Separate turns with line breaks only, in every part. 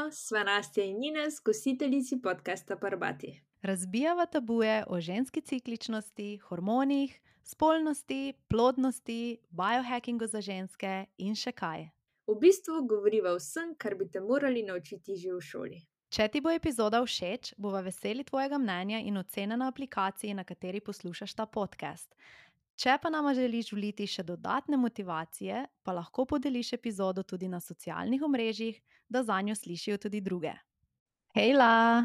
Živijo, sva Nastja in Ines, gostiteljici podcasta Parbati.
Razbijava tabuje o ženski cikličnosti, hormonih, spolnosti, plodnosti, biohackingu za ženske in še kaj.
V bistvu govoriva o vsem, kar bi te morali naučiti že v šoli.
Če ti bo epizoda všeč, bova veseli tvojega mnenja in ocene na aplikaciji, na kateri poslušaš ta podcast. Če pa nama želiš vliti še dodatne motivacije, pa lahko podeliš epizodo tudi na socialnih omrežjih, da zanjo slišijo tudi druge. Hejla!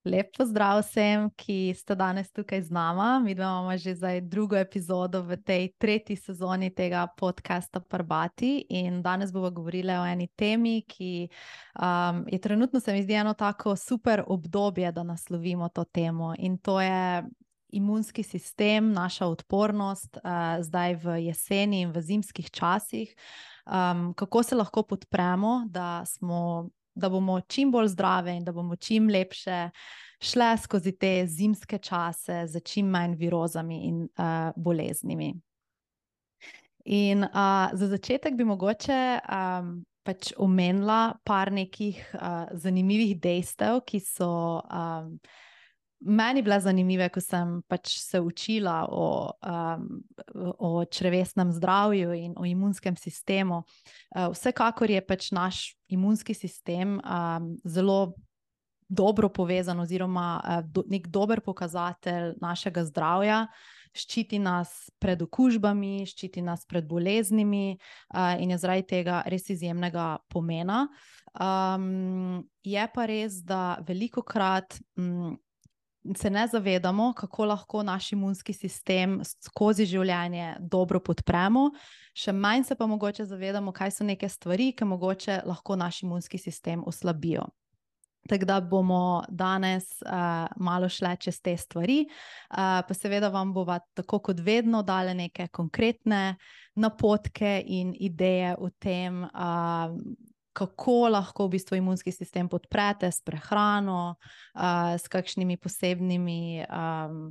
Lep pozdrav vsem, ki ste danes tukaj z nama. Mi imamo že zdaj drugo epizodo v tej tretji sezoni tega podcasta Parbati in danes bomo govorili o eni temi, ki je trenutno, se mi zdi, eno tako super obdobje, da naslovimo to temo, in to je imunski sistem, naša odpornost zdaj v jeseni in v zimskih časih. Kako se lahko podpremo, da bomo čim bolj zdrave in da bomo čim lepše šle skozi te zimske čase z čim manj virozami in boleznimi. In za začetek bi mogoče pač omenila par nekih zanimivih dejstev, ki so meni bile zanimive, ko sem pač se učila o črevesnem zdravju in o imunskem sistemu. Vsekakor je pač naš imunski sistem zelo dobro povezan oziroma nek dober pokazatelj našega zdravja. Ščiti nas pred okužbami, ščiti nas pred boleznimi in je zaradi tega res izjemnega pomena. Je pa res, da velikokrat se ne zavedamo, kako lahko naš imunski sistem skozi življenje dobro podpremo, še manj se pa mogoče zavedamo, kaj so neke stvari, ki mogoče lahko naš imunski sistem oslabijo. Tako da bomo danes malo šle čez te stvari, pa seveda vam bova tako kot vedno dale neke konkretne napotke in ideje o tem, kako lahko v bistvu imunski sistem podprete s prehrano, s kakšnimi posebnimi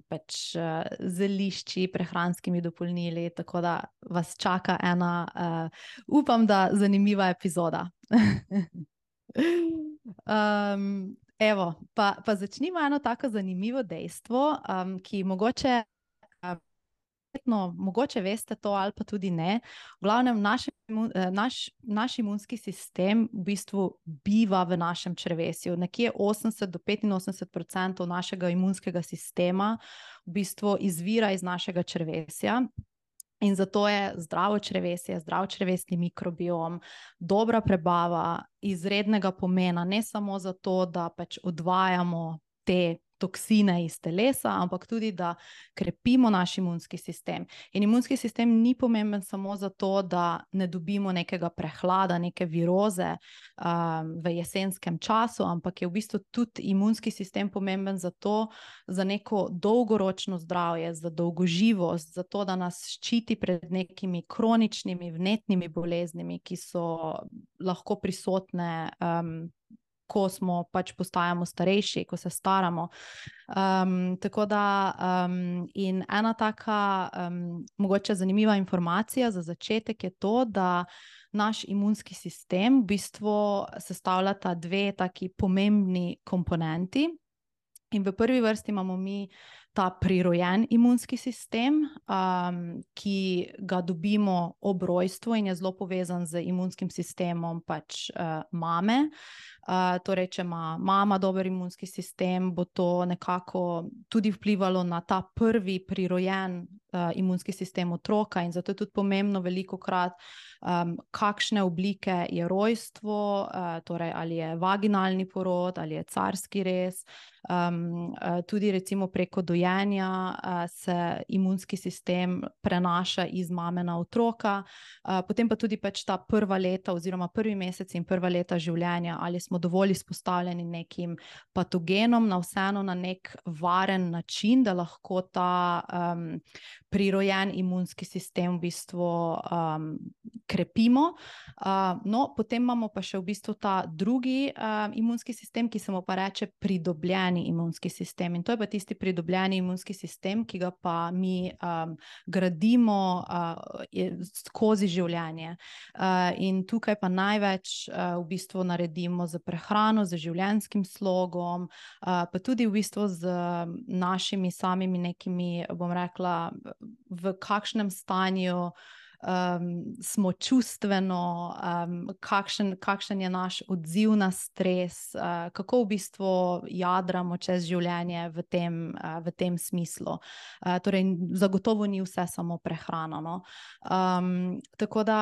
pač zelišči, prehranskimi dopolnili, tako da vas čaka ena, upam, da zanimiva epizoda. Evo, pa začnimo eno tako zanimivo dejstvo, ki mogoče veste to ali pa tudi ne. V glavnem, naš imunski sistem v bistvu biva v našem črevesju. Nekje 80 do 85% našega imunskega sistema v bistvu izvira iz našega črevesja. In zato je zdravo črevesje, zdrav črevesni mikrobiom, dobra prebava izrednega pomena, ne samo zato, da pač odvajamo te toksine iz telesa, ampak tudi, da krepimo naš imunski sistem. In imunski sistem ni pomemben samo zato, da ne dobimo nekega prehlada, neke viroze v jesenskem času, ampak je v bistvu tudi imunski sistem pomemben za neko dolgoročno zdravje, za dolgoživost, za to, da nas ščiti pred nekimi kroničnimi, vnetnimi boleznimi, ki so lahko prisotne ko smo pač postajamo starejši, ko se staramo. Tako da in ena taka mogoče zanimiva informacija za začetek je to, da naš imunski sistem v bistvu sestavljata dve taki pomembni komponenti. In v prvi vrsti imamo mi ta prirojen imunski sistem, ki ga dobimo ob rojstvu in je zelo povezan z imunskim sistemom pač mame. Torej, če ima mama dober imunski sistem, bo to nekako tudi vplivalo na ta prvi prirojen imunski sistem otroka, in zato je tudi pomembno velikokrat, kakšne oblike je rojstvo, torej ali je vaginalni porod, ali je carski rez. Tudi recimo preko dojenja se imunski sistem prenaša iz mame na otroka, potem pa tudi pač ta prva leta oziroma prvi mesec in prva leta življenja, ali smo dovolj izpostavljeni nekim patogenom, vseeno na nek varen način, da lahko ta prirojen imunski sistem v bistvu krepimo. No, potem imamo pa še v bistvu ta drugi imunski sistem, ki se mu pa reče pridobljeni imunski sistem. In to je pa tisti pridobljeni imunski sistem, ki ga pa mi gradimo skozi življenje. In tukaj pa največ v bistvu naredimo z prehrano, z življenjskim slogom, pa tudi v bistvu z našimi samimi nekimi, bom rekla, v kakšnem stanju smo čustveno, kakšen je naš odziv na stres, kako v bistvu jadramo čez življenje v tem smislu. Torej, zagotovo ni vse samo prehrana, no. Tako da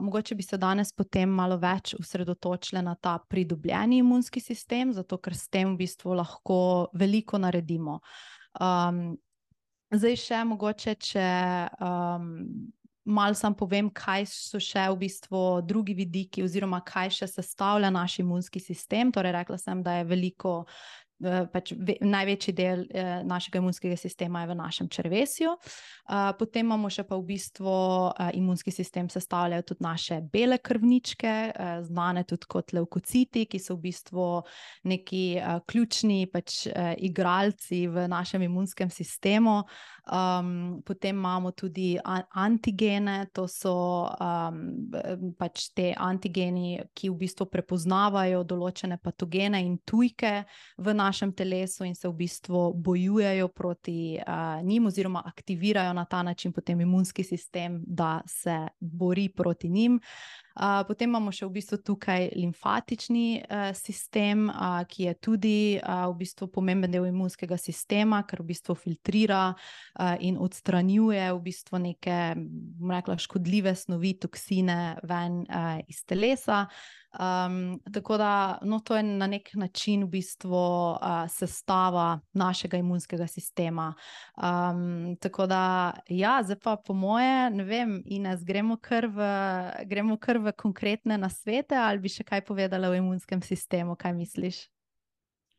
mogoče bi se danes potem malo več osredotočili na ta pridobljeni imunski sistem, zato ker s tem v bistvu lahko veliko naredimo. Zdaj še mogoče, če malo sam povem, kaj so še v bistvu drugi vidiki oziroma kaj še sestavlja naš imunski sistem. Torej, rekla sem, da je veliko, največji del našega imunskega sistema je v našem črevesju. Potem imamo še pa v bistvu imunski sistem sestavljajo tudi naše bele krvničke, znane tudi kot levkociti, ki so v bistvu neki ključni igralci v našem imunskem sistemu. Potem imamo tudi antigene, to so te antigeni, ki v bistvu prepoznavajo določene patogene in tujke v našem telesu in se v bistvu bojujejo proti njim oziroma aktivirajo na ta način potem imunski sistem, da se bori proti njim. Potem imamo še v bistvu tukaj limfatični sistem, ki je tudi v bistvu pomemben del imunskega sistema, ker v bistvu filtrira in odstranjuje v bistvu neke, bom rekla, škodljive snovi, toksine ven iz telesa. Tako da, no, to je na nek način v bistvu sestava našega imunskega sistema. Tako da, ja, zdaj pa po moje, ne vem, Ines, gremo kar v konkretne nasvete, ali bi še kaj povedala o imunskem sistemu, kaj misliš?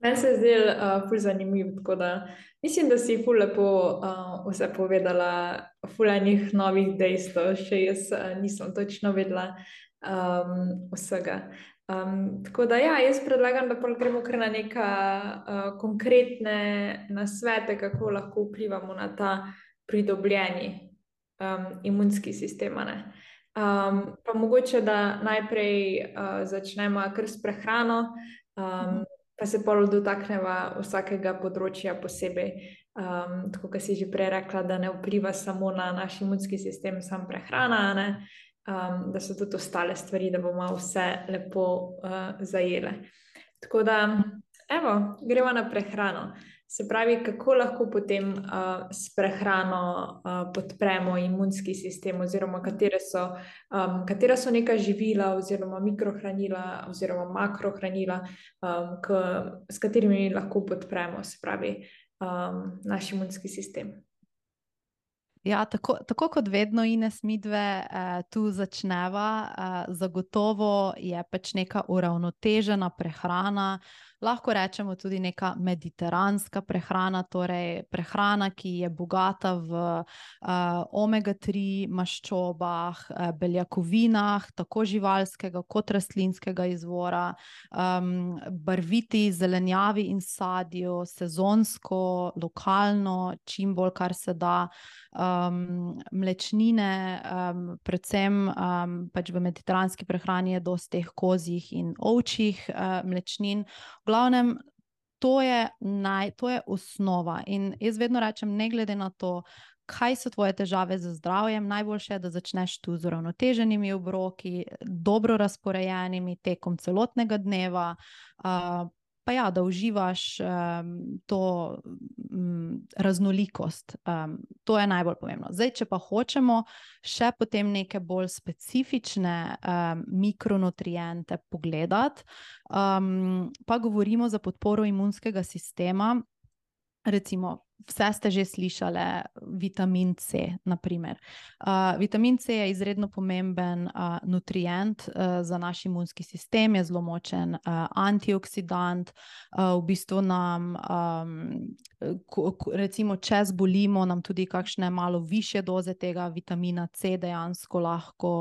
Meni se je zdelo ful zanimiv, tako da mislim, da si ful lepo vse povedala, ful enih novih dejstev, še jaz nisem točno vedela vsega. Tako da ja, jaz predlagam, da gremo kar na neka konkretne nasvete, kako lahko vplivamo na ta pridobljeni imunski sistem, ne. Pa mogoče, da najprej začnemo kar s prehrano, pa se pol dotakneva vsakega področja posebej. Tako kot si že prej rekla, da ne vpliva samo na naš imunski sistem, samo prehrana, ne? Da so tudi ostale stvari, da bomo vse lepo zajele. Tako da, evo, gremo na prehrano. Se pravi, kako lahko potem s prehrano podpremo imunski sistem oziroma katera so neka živila oziroma mikrohranila oziroma makrohranila, s katerimi lahko podpremo, se pravi, naš imunski sistem.
Ja, tako kot vedno, Ines, midve tu začneva, zagotovo je neka uravnotežena prehrana, lahko rečemo tudi neka mediteranska prehrana, torej prehrana, ki je bogata v omega-3 maščobah, beljakovinah, tako živalskega kot rastlinskega izvora, barviti zelenjavi in sadju, sezonsko, lokalno, čim bolj, kar se da, mlečnine, predvsem v mediteranski prehrani je dosti teh kozjih in ovčjih mlečnin. V glavnem, to je osnova in jaz vedno rečem, ne glede na to, kaj so tvoje težave z zdravjem, najboljše je, da začneš tu z uravnoteženimi obroki, dobro razporejenimi tekom celotnega dneva, pa ja, da uživaš to raznolikost. To je najbolj pomembno. Zdaj, če pa hočemo še potem neke bolj specifične mikronutriente pogledati, pa govorimo za podporo imunskega sistema, recimo, vse ste že slišali, vitamin C, naprimer. Vitamin C je izredno pomemben nutrient za naš imunski sistem, je zelo močen antioksidant, v bistvu nam, recimo, če zbolimo, nam tudi kakšne malo višje doze tega vitamina C dejansko lahko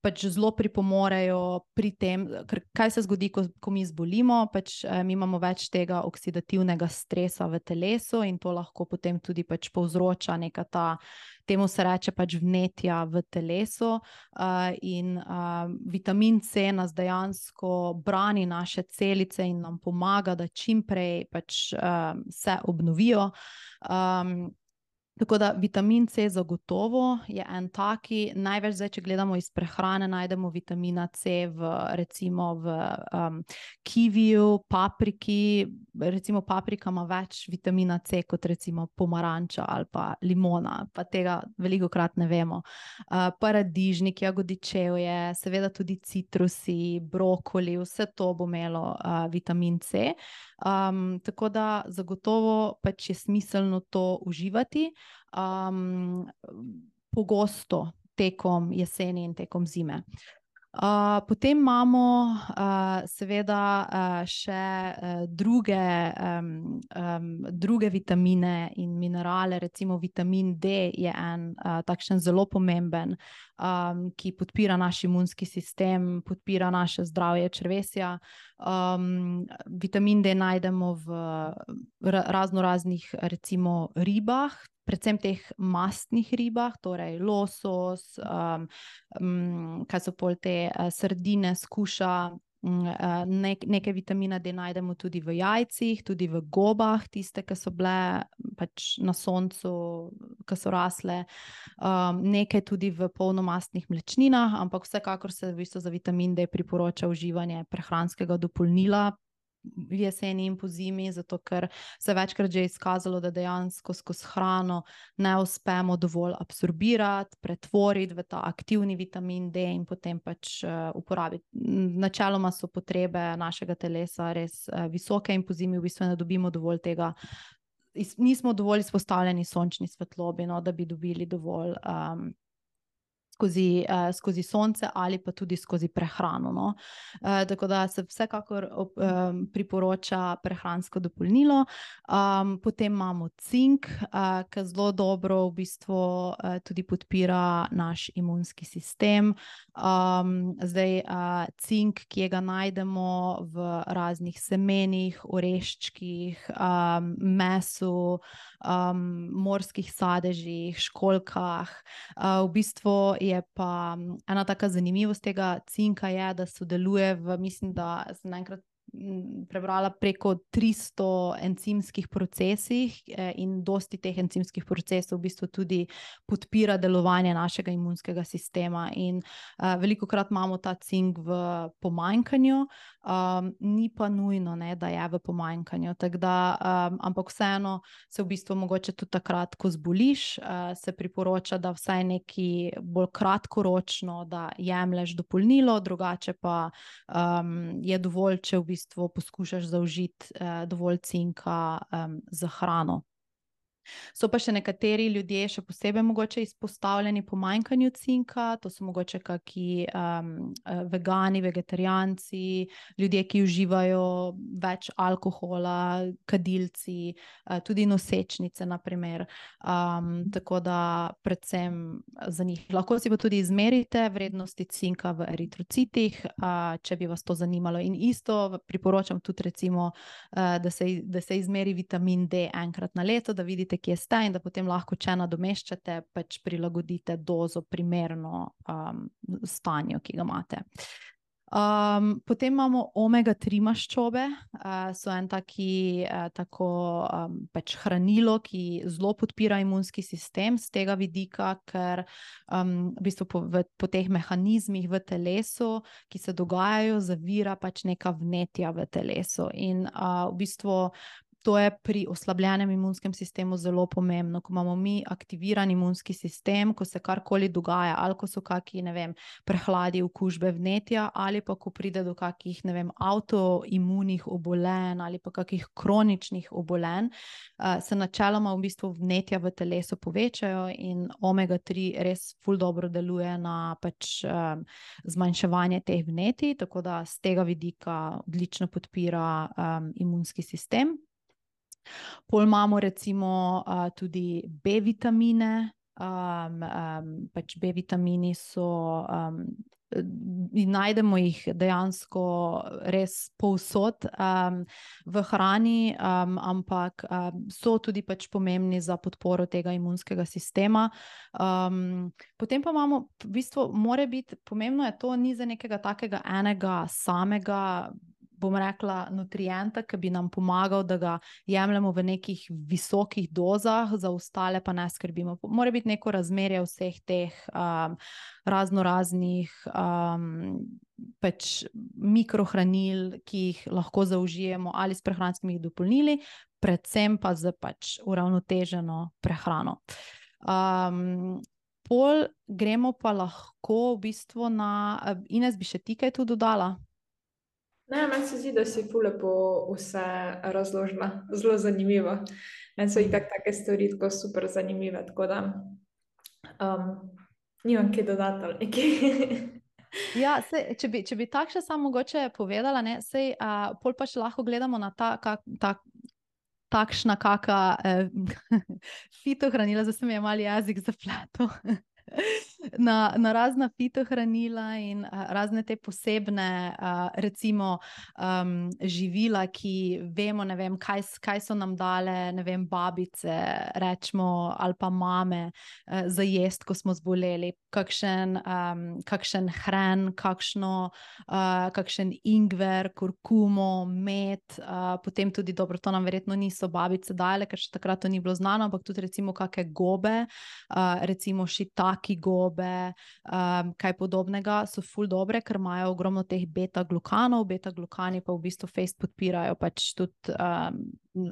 pač zelo pripomorejo pri tem, ker kaj se zgodi, ko mi zbolimo, pač mi imamo več tega oksidativnega stresa v telesu in to lahko potem tudi pač povzroča neka temu se reče pač vnetja v telesu in vitamin C nas dejansko brani naše celice in nam pomaga, da čim prej pač se obnovijo. Tako da vitamin C zagotovo je en taki, največ zdaj, če gledamo iz prehrane, najdemo vitamina C recimo v kiviju, papriki, recimo paprika ima več vitamina C kot recimo pomaranča ali pa limona, pa tega velikokrat ne vemo. Paradižnik, jagodičevje, seveda tudi citrusi, brokoli, vse to bo imelo vitamin C. Tako da zagotovo pač je smiselno to uživati pogosto tekom jeseni in tekom zime. Potem imamo seveda še druge vitamine in minerale, recimo vitamin D je en takšen zelo pomemben, ki podpira naš imunski sistem, podpira naše zdravje črevesja. Vitamin D najdemo v raznoraznih recimo ribah, predvsem teh mastnih ribah, torej losos, kaj so pol te sardine, skuša, nekaj vitamina D najdemo tudi v jajcih, tudi v gobah, tiste, ki so bile pač na soncu, ki so rasle, nekaj tudi v polnomastnih mlečninah, ampak vsekakor se v bistvu za vitamin D priporoča uživanje prehranskega dopolnila v jeseni in pozimi, zato ker se večkrat že izkazalo, da dejansko skozi hrano ne uspemo dovolj absorbirati, pretvoriti v ta aktivni vitamin D in potem pač uporabiti. Načeloma so potrebe našega telesa res visoke in pozimi v bistvu ne dobimo dovolj tega, nismo dovolj izpostavljeni sončni svetlobi, no, da bi dobili dovolj skozi sonce ali pa tudi skozi prehrano. No. Tako da se vsekakor priporoča prehransko dopolnilo. Potem imamo cink, ki zelo dobro v bistvu tudi podpira naš imunski sistem. Zdaj cink, ki ga najdemo v raznih semenih, oreščkih, mesu, morskih sadežih, školjkah. V bistvu je pa ena taka zanimivost tega cinka je, da sodeluje mislim, da sem naenkrat prebrala preko 300 encimskih procesih in dosti teh encimskih procesov v bistvu tudi podpira delovanje našega imunskega sistema in velikokrat imamo ta cink v pomanjkanju, ni pa nujno, ne, da je v pomanjkanju, tako da, ampak vseeno se v bistvu mogoče tudi takrat, ko zboliš, se priporoča, da vsaj neki bolj kratkoročno, da jemlješ dopolnilo, drugače pa je dovolj, če v bistvu poskušaš zaužiti dovolj cinka za hrano. So pa še nekateri ljudje še posebej mogoče izpostavljeni pomanjkanju cinka, to so mogoče kaki vegani, vegetarijanci, ljudje, ki uživajo več alkohola, kadilci, tudi nosečnice, na primer. Tako da predvsem za njih. Lahko si pa tudi izmerite vrednosti cinka v eritrocitih, če bi vas to zanimalo. In isto priporočam tudi recimo, da se izmeri vitamin D enkrat na leto, da vidite, kje ste in da potem lahko, če nadomeščate, pač prilagodite dozo primerno stanju, ki ga imate. Potem imamo omega-3 maščobe, so en tako pač hranilo, ki zelo podpira imunski sistem z tega vidika, ker v bistvu po teh mehanizmih v telesu, ki se dogajajo, zavira pač neka vnetja v telesu in v bistvu To je pri oslabljenem imunskem sistemu zelo pomembno, ko imamo mi aktiviran imunski sistem, ko se karkoli dogaja, ali ko so kakšni, ne vem, prehladi, okužbe, vnetja, ali pa ko pride do kakšnih, ne vem, avtoimunih obolenj ali pa kakšnih kroničnih obolenj, se načeloma v bistvu vnetja v telesu povečajo in omega-3 res ful dobro deluje na pač zmanjševanje teh vnetij, tako da z tega vidika odlično podpira imunski sistem. Pol imamo recimo tudi B-vitamine, pač B-vitamini so, najdemo jih dejansko res povsod v hrani, ampak so tudi pač pomembni za podporo tega imunskega sistema. Potem pa imamo, v bistvu mora biti, pomembno je to, ni za nekega takega enega samega, bom rekla, nutrienta, ki bi nam pomagal, da ga jemljemo v nekih visokih dozah, za ostale pa ne skrbimo. Mora biti neko razmerje vseh teh raznoraznih pač mikrohranil, ki jih lahko zaužijemo ali s prehranskimi dopolnili, predvsem pa z pač uravnoteženo prehrano. Pol gremo pa lahko v bistvu na, Ines, bi še ti kaj tu dodala?
Ne, meni se zdi, da si ful lepo vse razložila, zelo zanimivo. Meni so itak take stvari tako super zanimive, tako da nimam kaj dodati ali nekaj.
Ja, sej, če bi tako še samo mogoče povedala, ne, sej, pol pa še lahko gledamo na takšna kaka fitohranila, zdaj se mi je malo jezik zapletel. Na razna fitohranila in razne te posebne, recimo živila, ki vemo, ne vem, kaj so nam dale, ne vem, babice, rečemo, ali pa mame za jest, ko smo zboleli, kakšen hren, kakšen ingver, kurkumo, med, potem tudi, dobro, to nam verjetno niso babice dale, ker še takrat to ni bilo znano, ampak tudi recimo kakšne gobe, recimo šitaki gobe, kaj podobnega, so ful dobre, ker imajo ogromno teh beta-glukanov, beta-glukani pa v bistvu fejst podpirajo pač tudi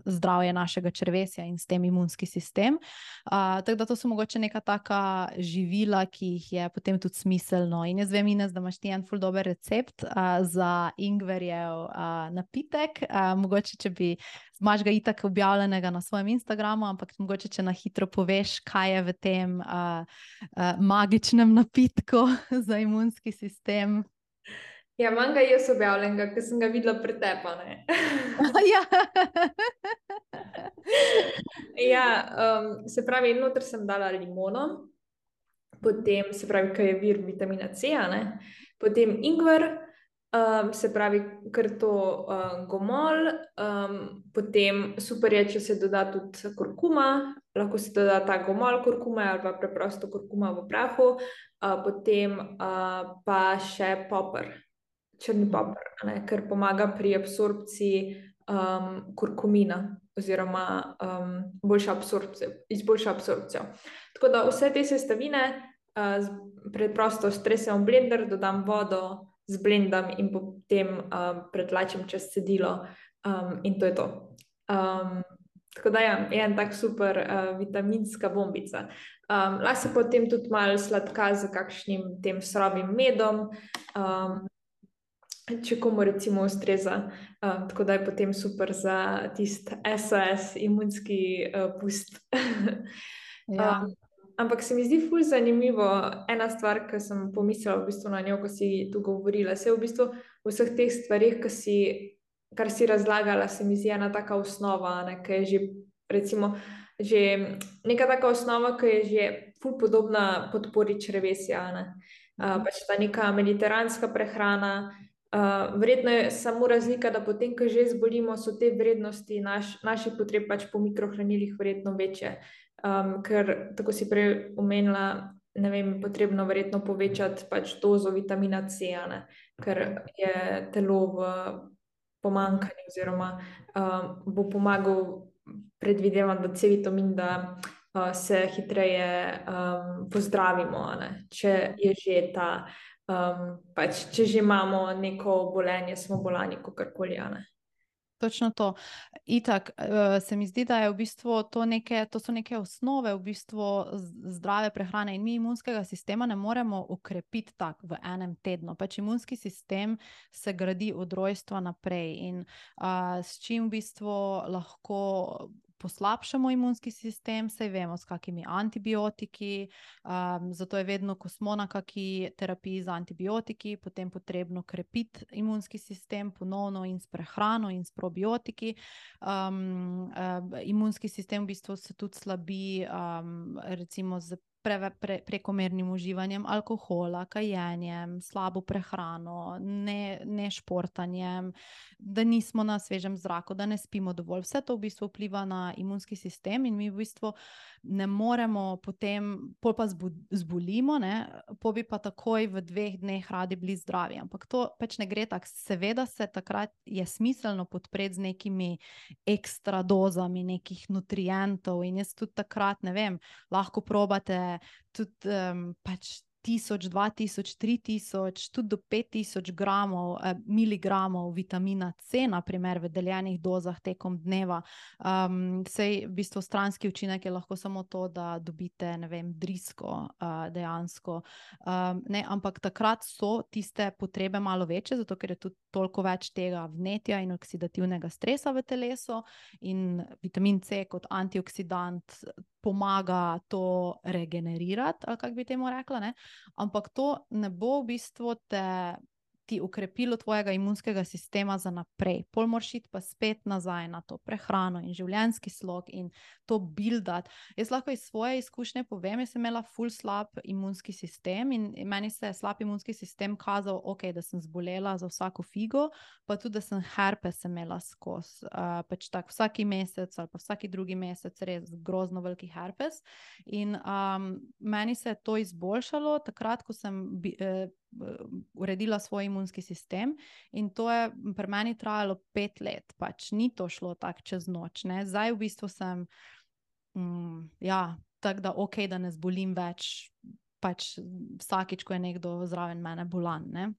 zdravje našega črevesja in s tem imunski sistem. Tako da to so mogoče neka taka živila, ki jih je potem tudi smiselno. In jaz vem, Ines, da imaš ti en ful dober recept za ingverjev napitek. Mogoče, če bi, imaš ga itak objavljenega na svojem Instagramu, ampak mogoče, če na hitro poveš, kaj je v tem magičnem napitku za imunski sistem.
Ja, imam ga jaz objavljenega, ker sem ga videla pretepane.
Ja.
Ja, se pravi, noter sem dala limono, potem se pravi, kaj je vir vitamina C, potem ingver, se pravi, kar to gomolj, potem super je, če se doda tudi kurkuma, lahko se doda ta gomolj kurkume ali pa preprosto kurkuma v prahu, potem pa še poper, črni poper, ker pomaga pri absorpciji kurkumina oziroma izboljša absorpcijo. Tako da vse te sestavine preprosto stresem v blender, dodam vodo, zblendam in potem pretlačim čez cedilo in to je to. Tako da ja, je en tak super vitaminska bombica. Lahko se potem tudi malo sladka z kakšnim tem surovim medom, če komu recimo ustreza, tako da je potem super za tisti SOS imunski pust.
Ja.
Ampak se mi zdi ful zanimivo, ena stvar, ki sem pomislila v bistvu na njo, ko si tu govorila, se v bistvu vseh teh stvarih, kar si razlagala, se mi zdi ena taka osnova, ki je že recimo že neka taka osnova, ki je že ful podobna podpori črevesja, pač ta neka mediteranska prehrana. Verjetno je samo razlika, da potem, ko že zbolimo, so te vrednosti naših potreb pač po mikrohranilih verjetno večje. Ker, tako si prej omenila, ne vem, potrebno verjetno povečati pač dozo vitamina C, ker je telo v pomanjkanju oziroma bo pomagal, predvidevam, da C-vitamin, da se hitreje pozdravimo, če je že ta pač, če že imamo neko obolenje, smo bolani, kakorkoli.
Točno to. Itak, se mi zdi, da je v bistvu to so neke osnove v bistvu zdrave prehrane in mi imunskega sistema ne moremo okrepiti tako v enem tednu. Pač imunski sistem se gradi od rojstva naprej in s čim v bistvu lahko poslabšamo imunski sistem, saj vemo, s kakimi antibiotiki, zato je vedno, ko smo na kaki terapiji z antibiotiki, potem potrebno krepiti imunski sistem ponovno in s prehrano in s probiotiki. Imunski sistem v bistvu se tudi slabi, recimo z prekomernim uživanjem alkohola, kajenjem, slabo prehrano, ne športanjem, da nismo na svežem zraku, da ne spimo dovolj. Vse to v bistvu vpliva na imunski sistem in mi v bistvu ne moremo potem, pol pa zbolimo, pol bi pa takoj v 2 dneh radi bili zdravi. Ampak to pač ne gre tako. Seveda se takrat je smiselno podpreti z nekimi ekstra dozami nekih nutrientov in jaz tudi takrat, ne vem, lahko probate tudi pač 1000, 2000, 3000, tudi do 5000 gramov, miligramov vitamina C, naprimer v deljenih dozah tekom dneva. Sej v bistvu stranski učinek je lahko samo to, da dobite, ne vem, drisko dejansko. Ampak takrat so tiste potrebe malo večje, zato ker je tudi toliko več tega vnetja in oksidativnega stresa v telesu in vitamin C kot antioksidant pomaga to regenerirati, ali kako bi temu rekla, ne? Ampak to ne bo v bistvu ti ukrepilo tvojega imunskega sistema za naprej. Pol moraš iti pa spet nazaj na to prehrano in življenjski slog in to buildati. Jaz lahko iz svoje izkušnje povem, jaz sem imela ful slab imunski sistem in meni se je slab imunski sistem kazal, da sem zbolela za vsako figo, pa tudi, da sem herpes imela skozi. Pač tak vsaki mesec ali pa vsaki drugi mesec res grozno veliki herpes. In meni se je to izboljšalo takrat, ko sem uredila svoj imunski sistem in to je pri meni trajalo 5 let, pač ni to šlo tako čez noč, ne. Zdaj v bistvu sem tako da da ne zbolim več pač vsakič, ko je nekdo zraven mene bolan, ne.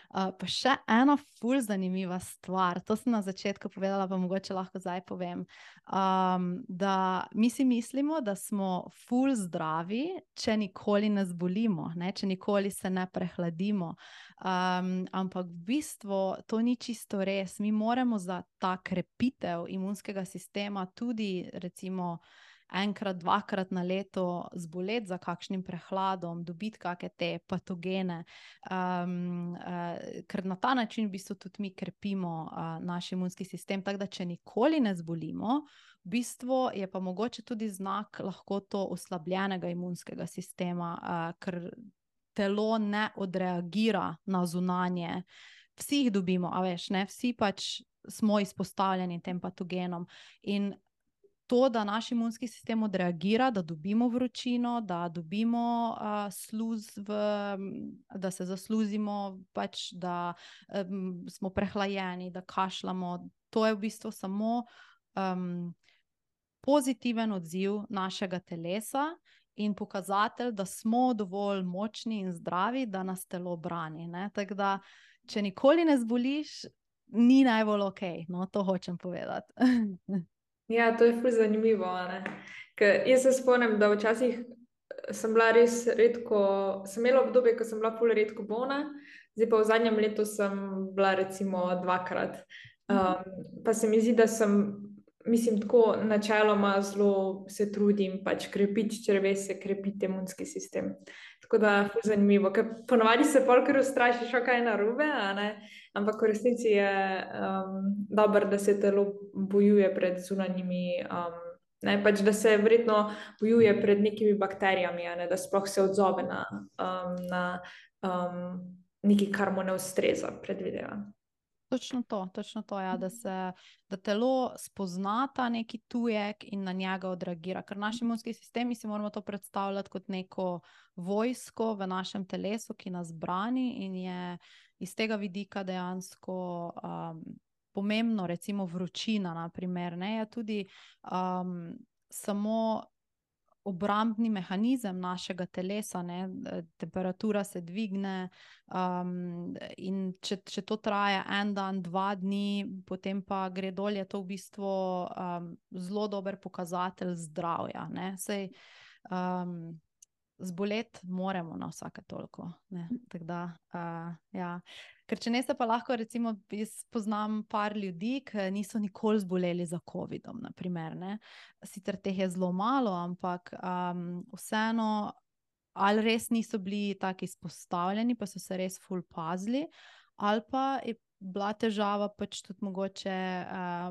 Pa še ena ful zanimiva stvar, to sem na začetku povedala, pa mogoče lahko zdaj povem, da mi si mislimo, da smo ful zdravi, če nikoli ne zbolimo, ne, če nikoli se ne prehladimo, ampak v bistvu to ni čisto res. Mi moramo za ta krepitev imunskega sistema tudi recimo enkrat, 2-krat na leto zboleti za kakšnim prehladom, dobiti kakšne te patogene, ker na ta način v bistvu tudi mi krepimo naš imunski sistem, tako da če nikoli ne zbolimo, v bistvu je pa mogoče tudi znak lahko to oslabljenega imunskega sistema, ker telo ne odreagira na zunanje. Vsi jih dobimo, a veš, ne, vsi pač smo izpostavljeni tem patogenom in to, da naš imunski sistem odreagira, da dobimo vročino, da dobimo da se zasluzimo, pač, da smo prehlajeni, da kašljamo, to je v bistvu samo pozitiven odziv našega telesa in pokazatelj, da smo dovolj močni in zdravi, da nas telo brani, ne. Tako da, če nikoli ne zboliš, ni najbolj no, to hočem povedati.
Ja, to je ful zanimivo, ne. Ker jaz se spomnim, da včasih sem bila res redko, sem imela obdobje, ko sem bila ful redko bolna, zdaj pa v zadnjem letu sem bila recimo 2-krat. Pa se mi zdi, da sem, mislim, tako načeloma zelo se trudim pač krepiti črevesje, krepiti imunski sistem. Tako da ful zanimivo, ker ponavadi se pol kar ustrašiš, kaj je narobe, a ne, ampak v resnici je dobro, da se telo bojuje pred zunanjimi, ne, pač da se verjetno bojuje pred nekimi bakterijami, a ne, da sploh se odzove na nekaj, kar mu ne ustreza, predvidevam.
Točno to, ja, da telo spozna ta neki tujek in na njega odreagira, ker naš imunski sistem, mi si moramo to predstavljati kot neko vojsko v našem telesu, ki nas brani in je iz tega vidika dejansko pomembno, recimo vročina, na primer, ne, je tudi samo obrambni mehanizem našega telesa, ne? Temperatura se dvigne, in če to traja en dan, 2 dni, potem pa gre dol, je to v bistvu zelo dober pokazatelj zdravja, ne? Sej, zboleti moramo na vsake toliko, ne? Tako da, ja. Ker če ne se pa lahko, recimo, jaz poznam par ljudi, ki niso nikoli zboleli za covidom, na primer, ne. Sicer teh je zelo malo, ampak vseeno ali res niso bili tako izpostavljeni, pa so se res ful pazili, ali pa je bila težava pač tudi mogoče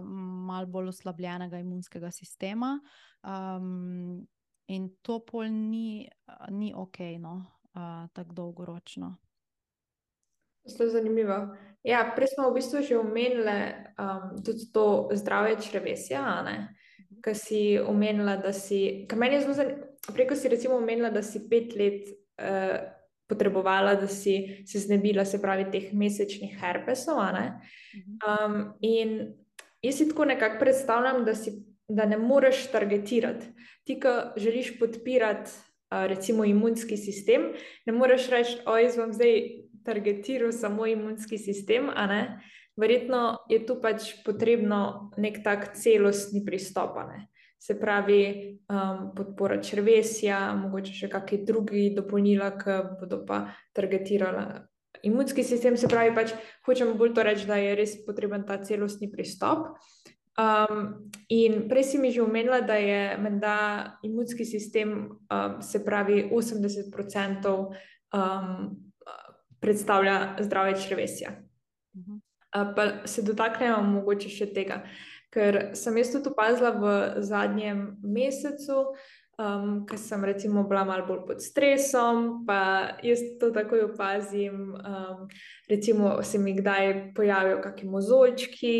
malo bolj oslabljenega imunskega sistema, in to pol ni okej, no, tako dolgoročno.
Zelo zanimivo. Ja, prej smo v bistvu že omenili tudi to zdravje črevesja, a ne? Ko si omenila, da si, ker meni je zelo preko si recimo omenila, da si 5 let potrebovala, da si se znebila, se pravi, teh mesečnih herpesov, a ne? In jaz si tako nekako predstavljam, da ne moreš targetirati. Ti, ko želiš podpirati recimo imunski sistem, ne moreš reči, jaz bom zdaj targetiral samo imunski sistem, a ne? Verjetno je tu pač potrebno nek tak celostni pristop, a ne? Se pravi, podpora črevesja, mogoče še kakšni drugi dopolnila, ki bodo pa targetirala imunski sistem, se pravi, pač hočem bolj to reči, da je res potreben ta celostni pristop. In prej si mi že omenila, da je menda imunski sistem, se pravi 80% predstavlja zdravje črevesja. Pa se dotaknemo mogoče še tega, ker sem jaz tudi opazila v zadnjem mesecu, ko sem recimo bila malo bolj pod stresom, pa jaz to takoj opazim, recimo se mi kdaj pojavijo kakšni mozolčki,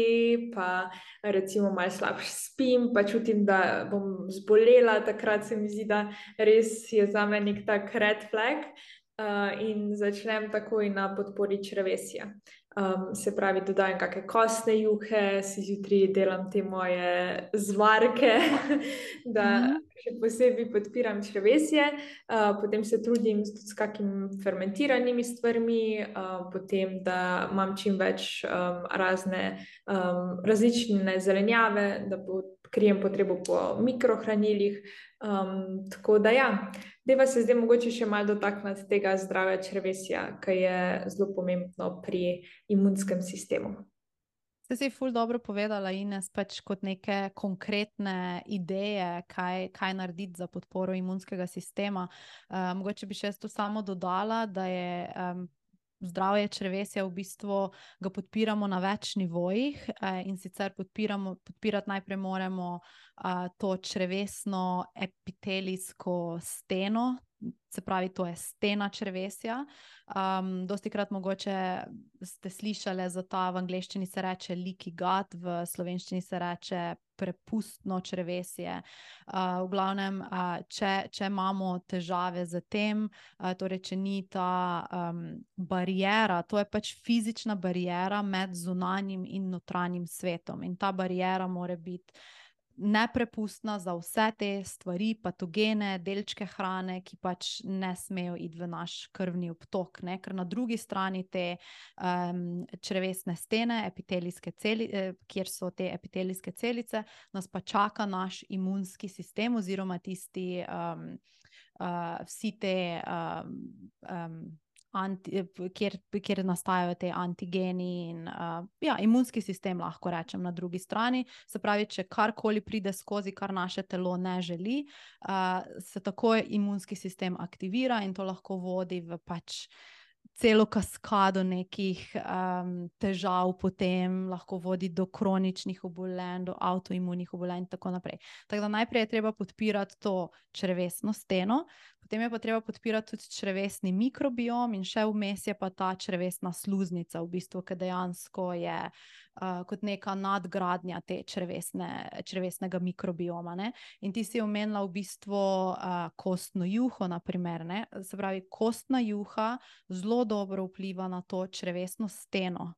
pa recimo malo slabše spim, pa čutim, da bom zbolela, takrat se mi zdi, da res je zame nek tak red flag, in začnem takoj na podpori črevesja. Se pravi, dodajam kakšne kostne juhe, si zjutraj delam te moje zvarke, da še posebej podpiram črevesje, potem se trudim s kakimi fermentiranimi stvarmi, potem da imam čim več različne zelenjave, da pokrijem potrebo po mikrohranilih, tako da ja. Dajva se zdaj mogoče še malo dotakniti tega zdravja črevesja, ki je zelo pomembno pri imunskem sistemu.
Si ful dobro povedala, Ines, pač kot neke konkretne ideje, kaj narediti za podporo imunskega sistema. Mogoče bi še jaz to samo dodala, da je zdravje črevesja v bistvu ga podpiramo na več nivojih, in sicer podpirati najprej moramo to črevesno epitelijsko steno, se pravi, to je stena črevesja. Dostikrat mogoče ste slišali za ta, v angleščini se reče leaky gut, v slovenščini se reče prepustno črevesje. V glavnem, če imamo težave z tem, torej če ni ta bariera, to je pač fizična bariera med zunanjim in notranjim svetom. In ta bariera mora biti neprepustna za vse te stvari, patogene, delčke hrane, ki pač ne smejo iti v naš krvni obtok, ne? Ker na drugi strani te črevesne stene, kjer so te epitelijske celice, nas pa čaka naš imunski sistem oziroma tisti vsi te kjer nastajajo te antigeni in imunski sistem, lahko rečem, na drugi strani. Se pravi, če karkoli pride skozi, kar naše telo ne želi, se takoj imunski sistem aktivira in to lahko vodi v pač celo kaskado nekih težav, potem lahko vodi do kroničnih obolenj, do avtoimunih obolenj in tako naprej. Tako da najprej je treba podpirati to črevesno steno, potem je pa treba podpirati tudi črevesni mikrobiom in še vmes je pa ta črevesna sluznica, v bistvu, ki dejansko je kot neka nadgradnja te črevesnega mikrobioma, ne. In ti si omenila v bistvu kostno juho, na primer, ne. Se pravi, kostna juha zelo zelo dobro vpliva na to črevesno steno.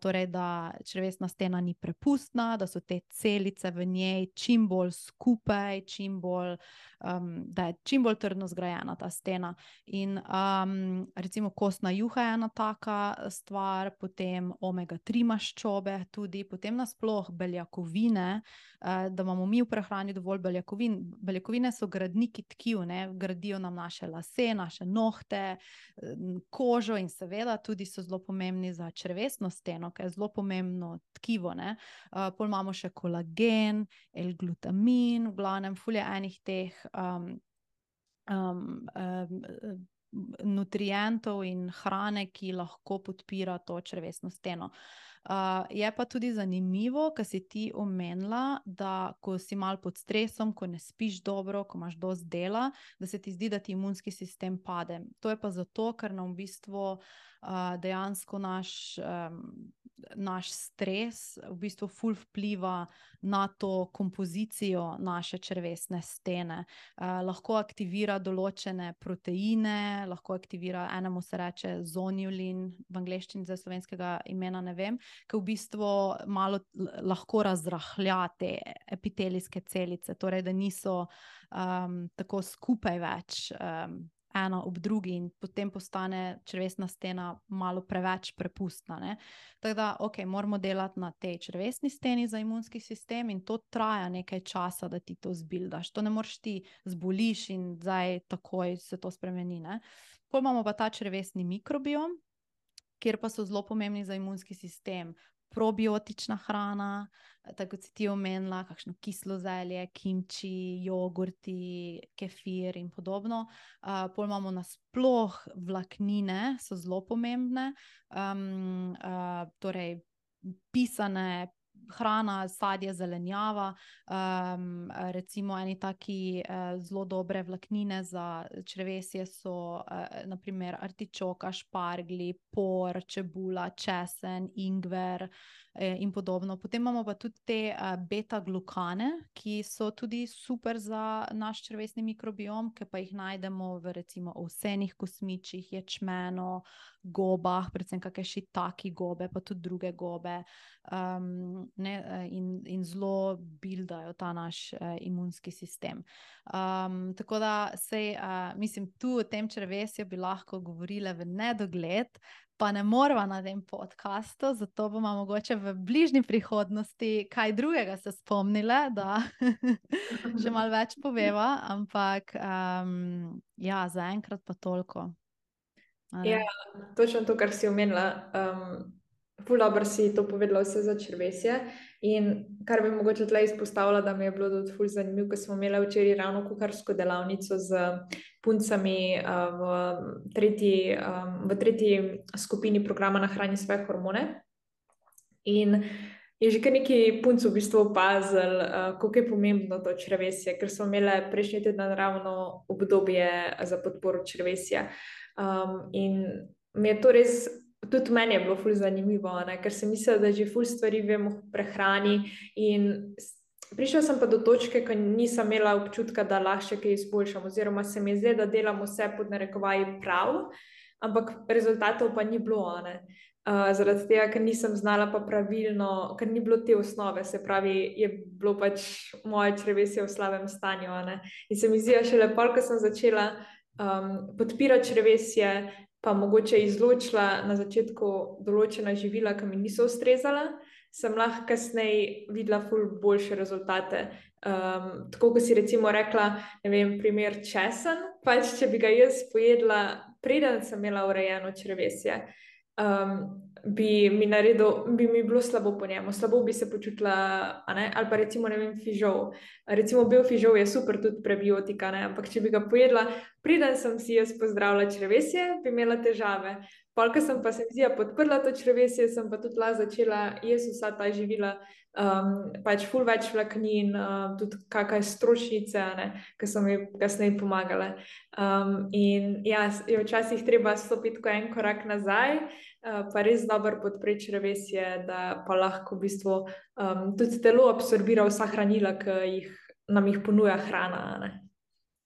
Torej, da črevesna stena ni prepustna, da so te celice v njej čim bolj skupaj, da je čim bolj trdno zgrajena ta stena. In recimo kostna juha je ena taka stvar, potem omega-3 maščobe tudi, potem nasploh beljakovine, da imamo mi v prehrani dovolj beljakovin. Beljakovine so gradniki tkiv, ne? Gradijo nam naše lase, naše nohte, kožo in seveda tudi so zelo pomembni za črevesno steno, ki je zelo pomembno tkivo, ne? Pol imamo še kolagen, L-glutamin, v glavnem ful je enih teh nutrientov in hrane, ki lahko podpira to črevesno steno. Je pa tudi zanimivo, kar si ti omenila, da ko si malo pod stresom, ko ne spiš dobro, ko imaš dosti dela, da se ti zdi, da ti imunski sistem pade. To je pa zato, ker nam v bistvu dejansko naš stres v bistvu ful vpliva na to kompozicijo naše črevesne stene. Lahko aktivira določene proteine, lahko aktivira, enemu se reče zonulin, v angleščini za slovenskega imena ne vem, ki v bistvu malo lahko razrahlja te epitelijske celice, torej da niso tako skupaj več ena ob drugi in potem postane črevesna stena malo preveč prepustna, ne. Tako da, moramo delati na tej črevesni steni za imunski sistem in to traja nekaj časa, da ti to zbildaš. To ne moreš ti zboliš in zdaj takoj se to spremeni, ne. Pol imamo pa ta črevesni mikrobiom, kjer pa so zelo pomembni za imunski sistem probiotična hrana, tako kot si ti omenila, kakšno kislo zelje, kimči, jogurti, kefir in podobno. Pol imamo nasploh vlaknine, so zelo pomembne, torej pisane hrana, sadje, zelenjava, recimo eni taki zelo dobre vlaknine za črevesje so na primer artičoka, šparglji, por, čebula, česen, ingver in podobno. Potem imamo pa tudi te beta-glukane, ki so tudi super za naš črevesni mikrobiom, ki pa jih najdemo v recimo ovsenih kosmičih, ječmenu, gobah, predvsem kakšne šitaki gobe, pa tudi druge gobe, in zelo buildajo ta naš imunski sistem. Tako da mislim, tu o tem črevesju bi lahko govorile v nedogled, pa ne morava na tem podcastu, zato bomo mogoče v bližnji prihodnosti kaj drugega se spomnile, da še malo več poveva, ampak ja, zaenkrat pa toliko.
Ja, točno to, kar si omenila. Ful dobro si to povedala vse za črevesje in kar bi mogoče tle izpostavila, da mi je bilo tudi ful zanimivo, ko smo imeli včeraj ravno kuharsko delavnico z puncami v tretji skupini programa Nahrani svoje hormone. In je že kar nekaj punc v bistvu opazil, koliko je pomembno to črevesje, ker smo imeli prejšnji teden ravno obdobje za podporo črevesja. In mi je to res, tudi meni je bilo ful zanimivo, ne? Ker sem mislila, da že ful stvari vemo v prehrani in prišla sem pa do točke, ko nisem imela občutka, da lahko kaj izboljšam, oziroma se mi zdi, da delam vse pod narekovaji prav, ampak rezultatov pa ni bilo, ne? Zaradi tega, ker nisem znala pa pravilno, ker ni bilo te osnove, se pravi, je bilo pač moje črevesje v slabem stanju, ne? In se mi zdi, šele pol, ko sem začela podpirati črevesje, pa mogoče izločila na začetku določena živila, ki mi niso ustrezala, sem lahko kasneje videla ful boljše rezultate. Tako, ko si recimo rekla, ne vem, primer česen, pač če bi ga jaz pojedla, preden sem imela urejeno črevesje, bi mi bilo slabo po njemu, slabo bi se počutila, ne? Ali pa recimo, ne vem, fižol. Recimo bel fižol je super tudi prebiotika, ne? Ampak če bi ga pojedla, preden sem si jaz pozdravila črevesje, bi imela težave. Pol, ko sem pa se mi zdi, podprla to črevesje, sem pa tudi lahko začela jesti vsa ta živila, pač ful več vlaknin, tudi kakšne stročnice, ne, ki so mi kasneje pomagale. In ja, je včasih treba stopiti en korak nazaj, pa res dobro podpreti črevesje, da pa lahko v bistvu tudi telo absorbira vsa hranila, ki nam jih ponuja hrana, ne.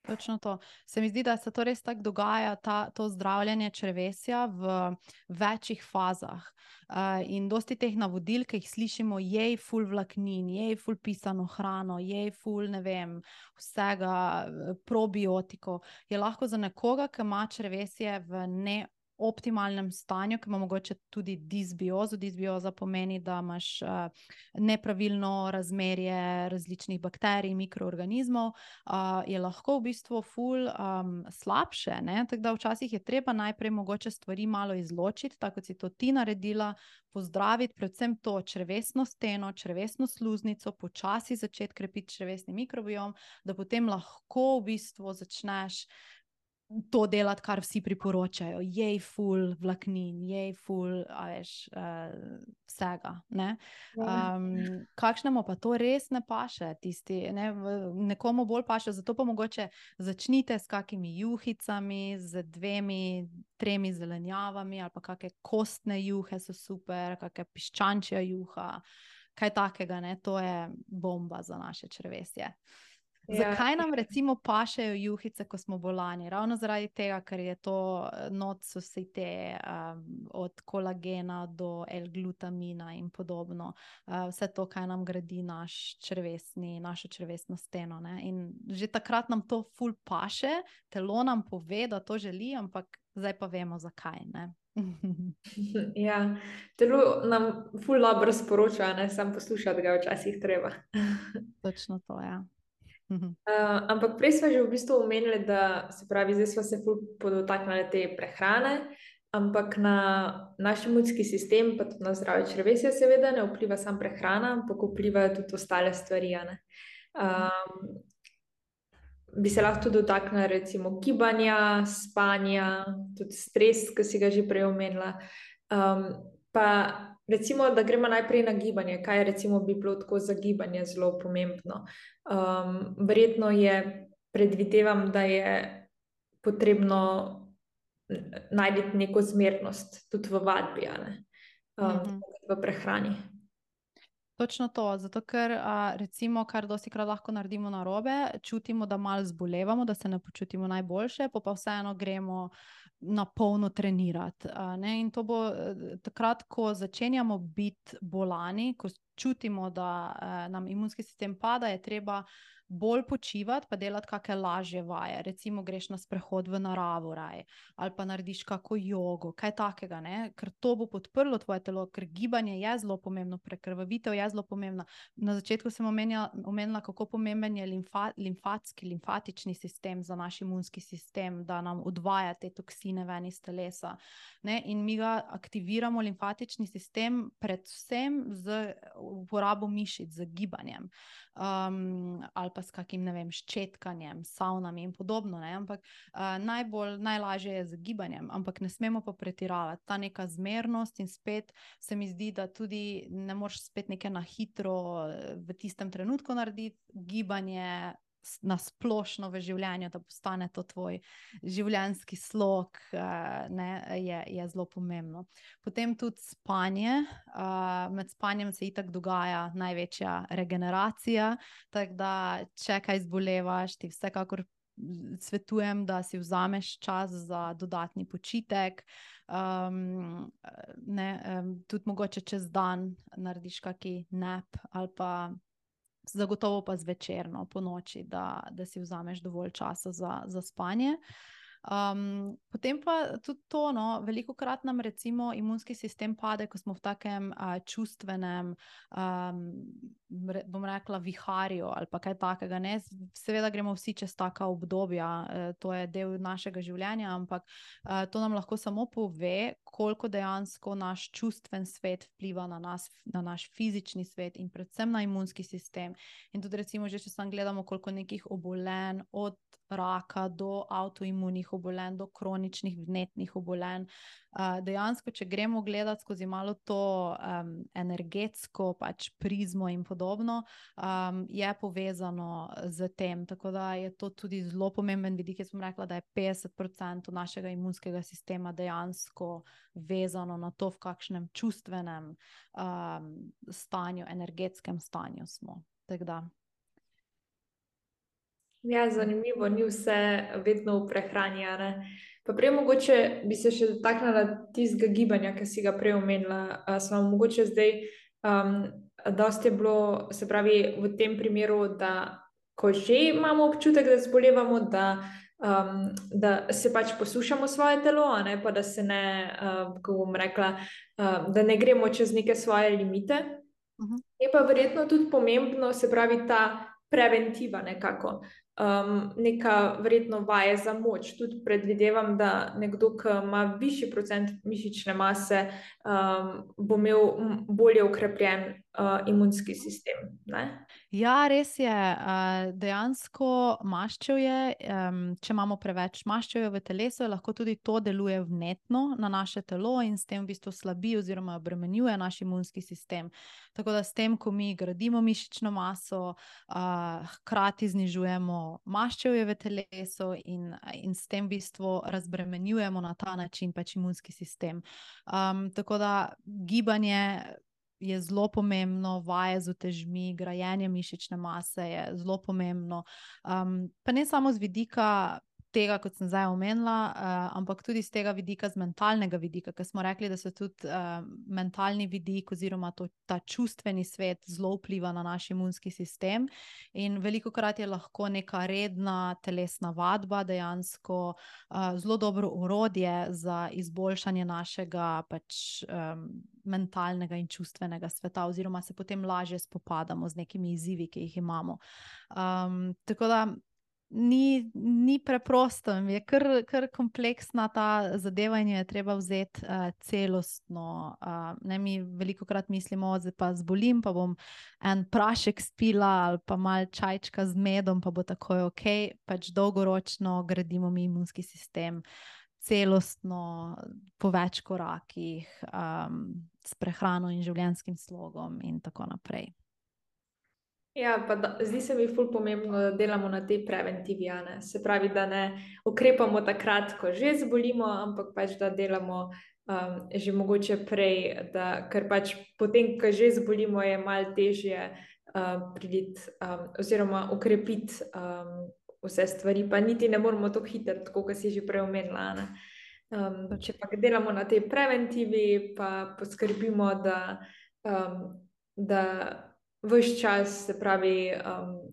Točno to. Se mi zdi, da se to res tako dogaja, to zdravljenje črevesja v večjih fazah. In dosti teh navodil, ki jih slišimo, jej ful vlaknin, jej ful pisano hrano, jej ful, ne vem, vsega, probiotikov, je lahko za nekoga, ki ima črevesje v optimalnem stanju, ki ima mogoče tudi disbiozo. Disbioza pomeni, da imaš nepravilno razmerje različnih bakterij, mikroorganizmov, je lahko v bistvu ful slabše, ne? Tako da včasih je treba najprej mogoče stvari malo izločiti, tako kot si to ti naredila, pozdraviti predvsem to črevesno steno, črevesno sluznico, počasi začeti krepiti črevesni mikrobiom, da potem lahko v bistvu začneš to delati, kar vsi priporočajo. Jej ful vlaknin, jej ful, vsega, ne? Kakšnemu pa to res ne paše, nekomu bolj paše, zato pa mogoče začnite s kakimi juhicami, z 2, 3 zelenjavami, ali pa kakšne kostne juhe so super, kakšna piščančja juha, kaj takega, ne? To je bomba za naše črevesje. Zakaj nam recimo pašejo juhice, ko smo bolani? Ravno zaradi tega, ker je to not so vse te od kolagena do L-glutamina in podobno. Vse to, kaj nam gradi našo črevesno steno, ne? In že takrat nam to ful paše, telo nam pove, da to želi, ampak zdaj pa vemo, zakaj, ne?
Ja, telo nam ful dobro sporoča, ne, samo poslušati ga včasih treba.
Točno to, ja.
Ampak prej smo že v bistvu omenili, da se pravi, zdaj smo se ful podotaknili te prehrane, ampak na naš imunski sistem, pa tudi na zdravje črevesja seveda ne vpliva samo prehrana, ampak vplivajo tudi ostale stvari, a ne. Bi se lahko tudi dotaknili recimo gibanja, spanja, tudi stres, ki si ga že prej omenila. Pa recimo, da gremo najprej na gibanje. Kaj recimo bi bilo tako za gibanje zelo pomembno? Verjetno je, predvidevam, da je potrebno najti neko zmernost tudi v vadbi, a ne? V prehrani.
Točno to, zato ker recimo, kar dostikrat lahko naredimo narobe, čutimo, da malo zbolevamo, da se ne počutimo najboljše, pa vseeno gremo na polno trenirati, ne? In to bo takrat, ko začenjamo biti bolani, ko čutimo, da nam imunski sistem pada, je treba bolj počivati, pa delati kakšne lažje vaje. Recimo greš na sprehod v naravo raje, ali pa narediš kako jogo, kaj takega, ne? Ker to bo podprlo tvoje telo, ker gibanje je zelo pomembno, prekrvavitev je zelo pomembna. Na začetku sem omenila, kako pomemben je limfatični sistem za naš imunski sistem, da nam odvaja te toksine ven iz telesa, ne? In mi ga aktiviramo, limfatični sistem, predvsem z uporabo mišic, z gibanjem, ali pa s kakim, ne vem, ščetkanjem, savnami in podobno, ne? Ampak najlažje je z gibanjem, ampak ne smemo pa pretiravati. Ta neka zmernost in spet se mi zdi, da tudi ne moreš spet nekaj na hitro v tistem trenutku narediti, gibanje na splošno v življenju, da postane to tvoj življenjski slog, ne, je zelo pomembno. Potem tudi spanje. Med spanjem se itak dogaja največja regeneracija, tako da če kaj zbolevaš, ti vsekakor svetujem, da si vzameš čas za dodatni počitek, tudi mogoče čez dan narediš kaki nap, ali pa zagotovo pa zvečer, no, po noči, da si vzameš dovolj časa za spanje. Potem pa tudi to, no, velikokrat nam recimo imunski sistem pade, ko smo v takem čustvenem, bom rekla, viharju ali pa kaj takega, ne? Seveda gremo vsi čez taka obdobja, to je del našega življenja, ampak to nam lahko samo pove, koliko dejansko naš čustven svet vpliva na nas, na naš fizični svet in predvsem na imunski sistem. In tudi recimo že, če samo gledamo, koliko nekih obolenj, od raka do avtoimunih obolenj, do kroničnih vnetnih obolenj. Dejansko, če gremo gledati skozi malo to energetsko pač prizmo in podobno, je povezano z tem, tako da je to tudi zelo pomemben vidik. Jaz bom rekla, da je 50% našega imunskega sistema dejansko vezano na to, v kakšnem čustvenem stanju, energetskem stanju smo. Tako da.
Ja, zanimivo, ni vse vedno v prehrani, a ne. Pa prej mogoče bi se še dotaknila tistega gibanja, ki si ga prej omenila. Smo mogoče zdaj, dosti je bilo, se pravi, v tem primeru, da ko že imamo občutek, da zbolevamo, da se pač poslušamo svoje telo, a ne, pa da se ne, kako bom rekla, da ne gremo čez neke svoje limite. Je pa verjetno tudi pomembno, se pravi, ta preventiva nekako. Neka verjetno vaje za moč. Tudi predvidevam, da nekdo, ki ima višji procent mišične mase, bo imel bolje ukrepljen imunski sistem. Ne?
Ja, res je. Dejansko maščevje, če imamo preveč maščevja v telesu, lahko tudi to deluje vnetno na naše telo in s tem v bistvu slabi oziroma obremenjuje naš imunski sistem. Tako da s tem, ko mi gradimo mišično maso, hkrati znižujemo maščevje v telesu in s tem v bistvu razbremenjujemo na ta način pač imunski sistem. Tako da gibanje je zelo pomembno, vaje z utežmi, grajenje mišične mase je zelo pomembno. Pa ne samo z vidika tega, kot sem zdaj omenila, ampak tudi z tega vidika, z mentalnega vidika, ker smo rekli, da se tudi mentalni vidik oziroma ta čustveni svet zelo vpliva na naš imunski sistem in velikokrat je lahko neka redna telesna vadba dejansko zelo dobro orodje za izboljšanje našega pač mentalnega in čustvenega sveta oziroma se potem lažje spopadamo z nekimi izzivi, ki jih imamo. Tako da ni preprosto, je kar kompleksna ta zadeva in jo je treba vzeti celostno. Mi velikokrat mislimo, da pa zbolim, pa bom en prašek spila ali pa malo čajčka z medom, pa bo takoj ok, pač dolgoročno gradimo mi imunski sistem celostno, po več korakih, s prehrano in življenjskim slogom in tako naprej.
Ja, pa zdi se mi ful pomembno, da delamo na tej preventivi, a ne. Se pravi, da ne ukrepamo takrat, ko že zbolimo, ampak pač da delamo že mogoče prej, ker pač potem, ko že zbolimo, je malo težje priti oziroma ukrepiti vse stvari, pa niti ne moramo tako hitro, tako kot si že prej omenila, a ne. Če pa delamo na tej preventivi, pa poskrbimo, da ves čas, se pravi,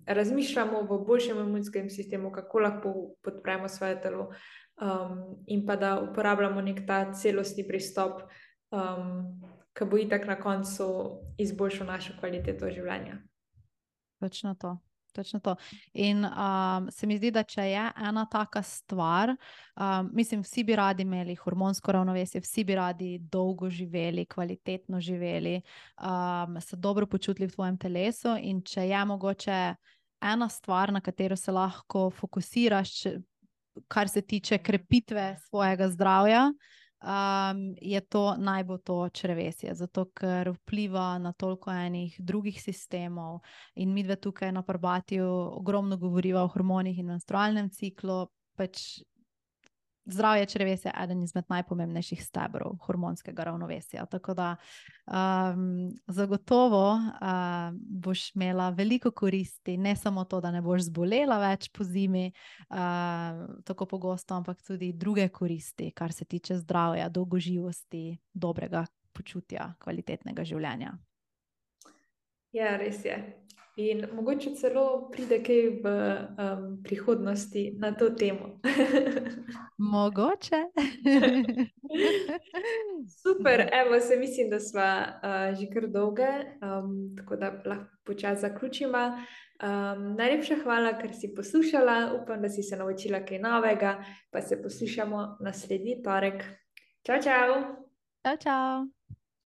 razmišljamo v boljšem imunskem sistemu, kako lahko podpremo svoje telo, in pa da uporabljamo nek ta celostni pristop, ki bo itak na koncu izboljšal našo kvaliteto življenja.
Točno to. Točno to. In se mi zdi, da če je ena taka stvar, mislim, vsi bi radi imeli hormonsko ravnovesje, vsi bi radi dolgo živeli, kvalitetno živeli, se dobro počutili v tvojem telesu in če je mogoče ena stvar, na katero se lahko fokusiraš, kar se tiče krepitve svojega zdravja, je to naj bo to črevesje, zato ker vpliva na toliko enih drugih sistemov in midve tukaj na Parbatiju ogromno govoriva o hormonih in menstrualnem ciklu, pač zdravje črevesja je eden izmed najpomembnejših stebrov hormonskega ravnovesja, tako da zagotovo boš imela veliko koristi, ne samo to, da ne boš zbolela več po zimi tako pogosto, ampak tudi druge koristi, kar se tiče zdravja, dolgoživosti, dobrega počutja, kvalitetnega življenja.
Ja, res je. In mogoče celo pride kaj v prihodnosti na to temo.
Mogoče.
Super, evo, se mislim, da sva že kar dolge, tako da lahko počasi zaključimo. Najlepša hvala, ker si poslušala. Upam, da si se naučila kaj novega, pa se poslušamo naslednji torek. Čau, čau!
Čau, čau!